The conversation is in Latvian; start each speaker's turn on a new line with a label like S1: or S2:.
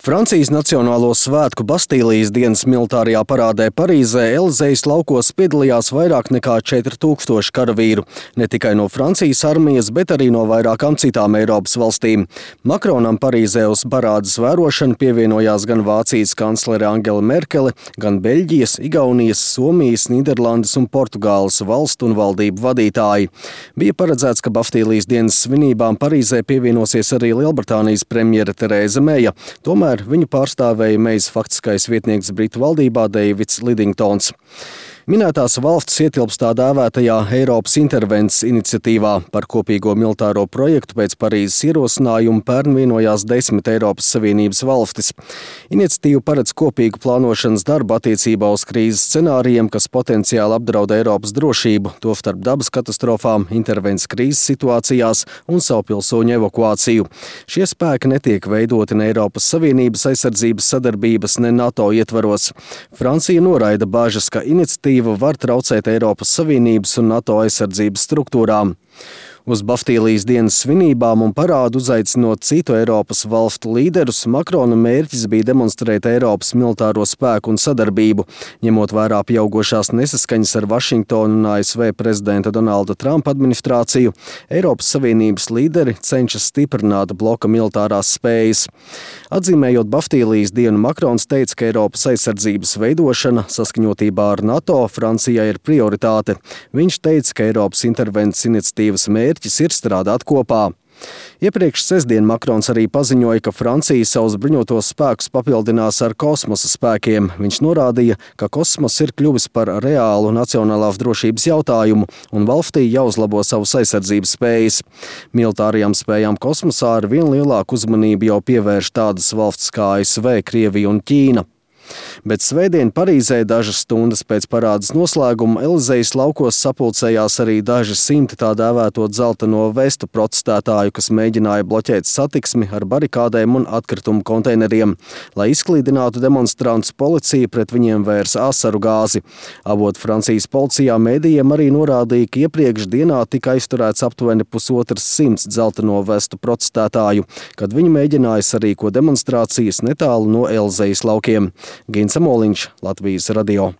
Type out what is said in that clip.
S1: Francijas Nacionālo svētku Bastīlijas dienas militārajā parādē Parīzē Elizejas laukos piedalījās vairāk nekā 4000 karavīru, ne tikai no Francijas armijas, bet arī no vairākām citām Eiropas valstīm. Makronam Parīzē uz parādes vērošanu pievienojās gan Vācijas kanclere Angela Merkele, gan Beļģijas, Igaunijas, Somijas, Nīderlandes un Portugāles valstu un valdību vadītāji. Bija paredzēts, ka Bastīlijas dienas svinībām Parīzē pievienosies arī Lielbritānijas premjere Terēza Meja. Tomēr viņu pārstāvēja Mejas faktiskais vietnieks Britu valdībā Deivids Lidingtons. Minētās valstis ietilpst tā dēvētajā Eiropas intervences iniciatīvā. Par kopīgo militāro projektu pēc Parīzes ierosinājuma pērn vienojās 10 Eiropas Savienības valstis. Iniciatīva paredz kopīgu plānošanas darbu attiecībā uz krīzes scenārijiem, kas potenciāli apdraud Eiropas drošību, tostarp dabas katastrofām, intervences krīzes situācijās un savu pilsoņu evakuāciju. Šie spēki netiek veidoti ne Eiropas Savienības aizsardzības sadarbības, ne NATO ietvaros. Francija noraida bažas, ka iniciatīva var traucēt Eiropas Savienības un NATO aizsardzības struktūrām. Uz Bastīlijas dienas svinībām un parādu uzaicinot citu Eiropas valstu līderus, Makrona mērķis bija demonstrēt Eiropas militāro spēku un sadarbību. Ņemot vērā pieaugošās nesaskaņas ar Vašingtonu un ASV prezidenta Donalda Trumpa administrāciju, Eiropas Savienības līderi cenšas stiprināt bloka militārās spējas. Atzīmējot Bastīlijas dienu, Makrons teica, ka Eiropas aizsardzības veidošana saskaņotībā ar NATO Francijai ir prioritāte. Viņš teica, ka Eiropas intervences iniciatīvas mērķis ir strādāt kopā. Iepriekš sestdien Makrons arī paziņoja, ka Francija savus bruņotos spēkus papildinās ar kosmosa spēkiem. Viņš norādīja, ka kosmos ir kļuvis par reālu nacionālās drošības jautājumu un valstī jāuzlabo savas aizsardzības spējas. Militārajām spējām kosmosā ar vien lielāku uzmanību jau pievērš tādas valsts kā ASV, Krievija un Ķīna. Bet svētdien Parīzē dažas stundas pēc parādes noslēguma Elizejas laukos sapulcējās arī daži simti tā dēvēto dzelteno vestu protestētāju, kas mēģināja bloķēt satiksmi ar barikādēm un atkritumu konteineriem. Lai izklīdinātu demonstrantus, policija pret viņiem vērsa asaru gāzi. Avot Francijas policijā mēdījiem arī norādīja, ka iepriekš dienā tika aizturēts aptuveni 150 dzelteno vestu protestētāju, kad viņi mēģināja sarīkot demonstrācijas netālu no Elizejas laukiem. Gins Amoliņš, Latvijas radio.